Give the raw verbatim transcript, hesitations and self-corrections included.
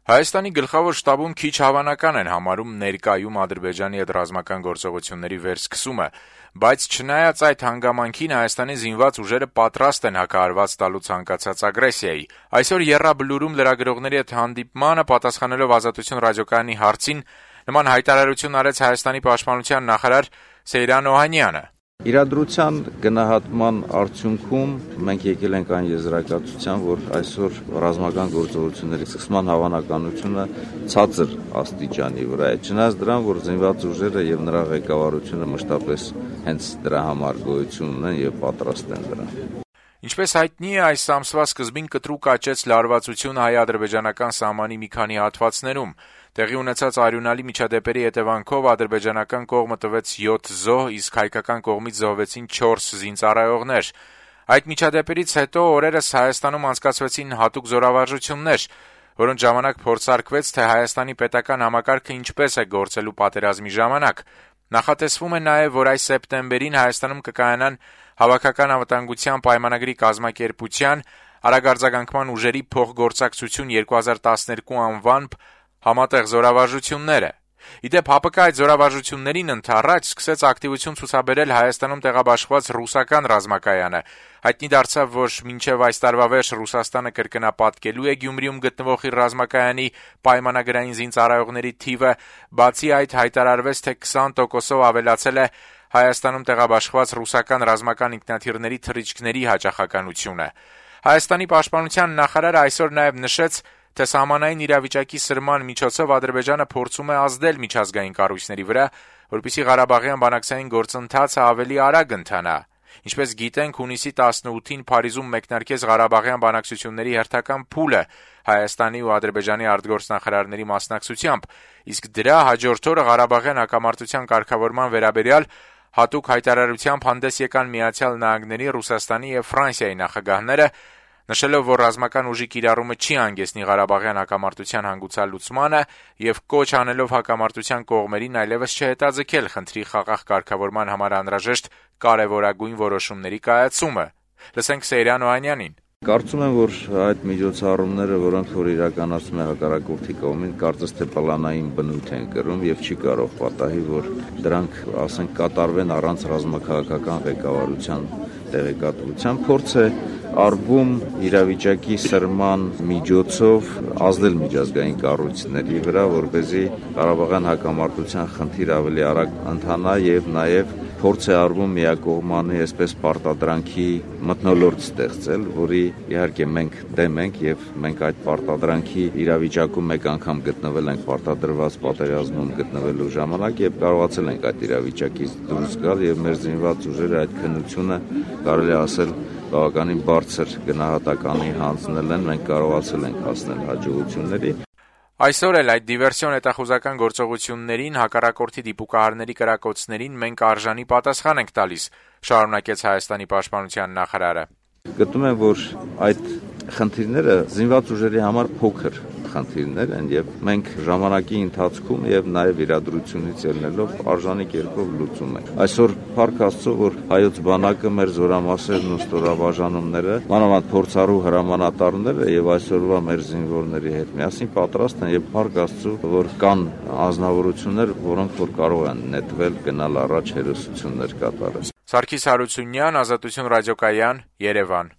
Հայաստանի գլխավոր շտաբում քիչ հավանական են համարում ներկայում Ադրբեջանի հետ ռազմական գործողությունների վերսկսումը, բայց չնայած այդ հանգամանքին Հայաստանի զինված ուժերը պատրաստ են հակահարված տալու ցանկացած ագրեսիայի։ Այսօր եռաբլուրում լրագրողների հետ հանդիպմանը պատասխանելով Ազատություն ռադիոկայանի հարցին նման հայտարարություն արեց Հայաստանի պաշտպանության նախարար Սեյրան Օհանյանը։ Իրադրության գնահատման արդյունքում մենք եկել ենք այն եզրակացության, որ այսօր ռազմական գործողությունների սկսման հավանականությունը ցածր աստիճանի վրա է։ Չնայած դրան, որ զինված ուժերը եւ նրա ղեկավարությունը մշտապես հենց դրա համար գոյություն ունեն եւ պատրաստ են դրան։ Ինչպես հայտնի է, այս ամսվա սկզբին կտրուկ աճեց լարվածությունը հայ-ադրբեջանական սահմանի մի քանի հատվածներում։ Տեղի ունեցած արյունալի միջադեպերի հետևանքով ադրբեջանական կողմը տվեց յոթ զոհ, իսկ հայկական կողմից զոհվեցին չորս զինծառայողներ։ Այդ միջադեպերից հետո օրերս Հայաստանում անցկացվեցին հատուկ զորավարժություններ, որոնց ժամանակ փորձարկվեց, թե Հայաստանի պետական համակարգը ինչպես է գործելու պատերազմի ժամանակ։ Նախատեսվում է նաև, որ այս սեպտեմբերին Հայաստանում կկայանան Հավաքական անվտանգության պայմանագրի կազմակերպության արագարձագանքման ուժերի փոխգործակցություն երկու հազար տասներկու անվամբ համատեղ զորավարժությունները։ Իդեպ ՀԱՊԿ այդ զորավարժություններին ընդառաջ սկսեց ակտիվություն ցուցաբերել Հայաստանում տեղաբաշխված ռուսական ռազմակայանը։ Հայտնի դարձավ, որ մինչև այս տարվա վերջ Ռուսաստանը կրկնապատկելու է Գյումրիում գտնվող իր ռազմակայանի պայմանագրային զինծառայողների թիվը, բացի այդ հայտարարվեց, թե քսան տոկոսով ավելացել է Հայաստանում տեղաբաշխված ռուսական ռազմական ինքնաթիռների թռիչքների հաճախականությունը։ Հայաստանի պաշտպանության նախարարը այսօր նաև նշեց, թե սահմանային իրավիճակի սրման միջոցով Ադրբեջանը փորձում է ազդել միջազգային կառույցների վրա, որպեսզի Ղարաբաղյան բանակցային գործընթացը ավելի արագ ընթանա։ Ինչպես գիտենք, հունիսի տասնութին Փարիզում մեկնարկեց Ղարաբաղյան բանակցությունների հերթական փուլը Հայաստանի ու Ադրբեջանի արտգործնախարարների մասնակցությամբ, իսկ դրա հաջորդ օրը Ղարաբաղյան հակամարտության կարգավորման վերաբերյալ հատուկ հայտարարությամբ հանդես եկան Միացյալ Նահանգների, Ռուսաստանի եւ Ֆրանսիայի նախագահները, նշելով, որ ռազմական ուժի կիրառումը չի հանգեցնի Ղարաբաղյան հակամարտության հանգուցալուծմանը եւ կոչ անելով հակամարտության կողմերին այլևս չհետաձգել խնդրի խաղաղ կարգավորման համար անհրաժեշտ կարեւորագույն որոշումների կայացումը։ Լսենք Սեյրան Օհանյանին։ Կարծում եմ, որ այդ միջոցառումները, որոնք որ իրականացում է հակառակորդի կողմին, կարծես թե պլանային բնույթ են կրում եւ չի կարող պատահի, որ դրանք, ասենք, կատարվեն առանց ռազմաքաղաքական ղեկավարության տեղեկատվության։ Փորձ է արվում իրավիճակի սրման միջոցով ազդել միջազգային կառույցների վրա, որպեսզի Ղարաբաղյան հակամարտության խնդիրը ավելի արագ ընթանա եւ նաեւ փորձ է արվում միակողմանի այսպես պարտադրանքի մթնոլորտ ստեղծել, որի իհարկե մենք դեմ ենք եւ մենք այդ պարտադրանքի իրավիճակում մեկ անգամ գտնվել ենք պարտադրված պատերազմում գտնվելու ժամանակ եւ կարողացել ենք այդ իրավիճակից դուրս գալ եւ մեր զինված ուժերը այդ քննությունը կարելի ասել բավականին բարձր գնահատականի հանձնել են, մենք կարողացել ենք հասնել հաջողությունների։ Այսօր էլ այդ դիվերսիոն հետախուզական գործողություններին, հակառակորդի դիպուկահարների կրակոցներին մենք արժանի պատասխան ենք տալիս, շարունակեց Հայաստանի պաշտպանության նախարարը։ Գտնում եմ, որ այդ խնդիրները զինված ուժերի համար փոքր խնդիրներ են եւ մենք ժամանակի ընթացքում եւ նաեւ իրադրությունից ելնելով արժանի կերպով լուծում ենք։ Այսօր փառք Աստծո, որ հայոց բանակը մեր զորամասերն ու ստորաբաժանումները, մանավանդ փորձառու հրամանատարները եւ այսօրվա մեր զինվորների հետ միասին պատրաստ են եւ փառք Աստծո, որ կան անձնավորություններ, որոնք որ կարող են նետվել, գնալ առաջ հերոսություններ կատարել։ Սարգիս Հարությունյան, Ազատություն ռադիոկայան, Երևան։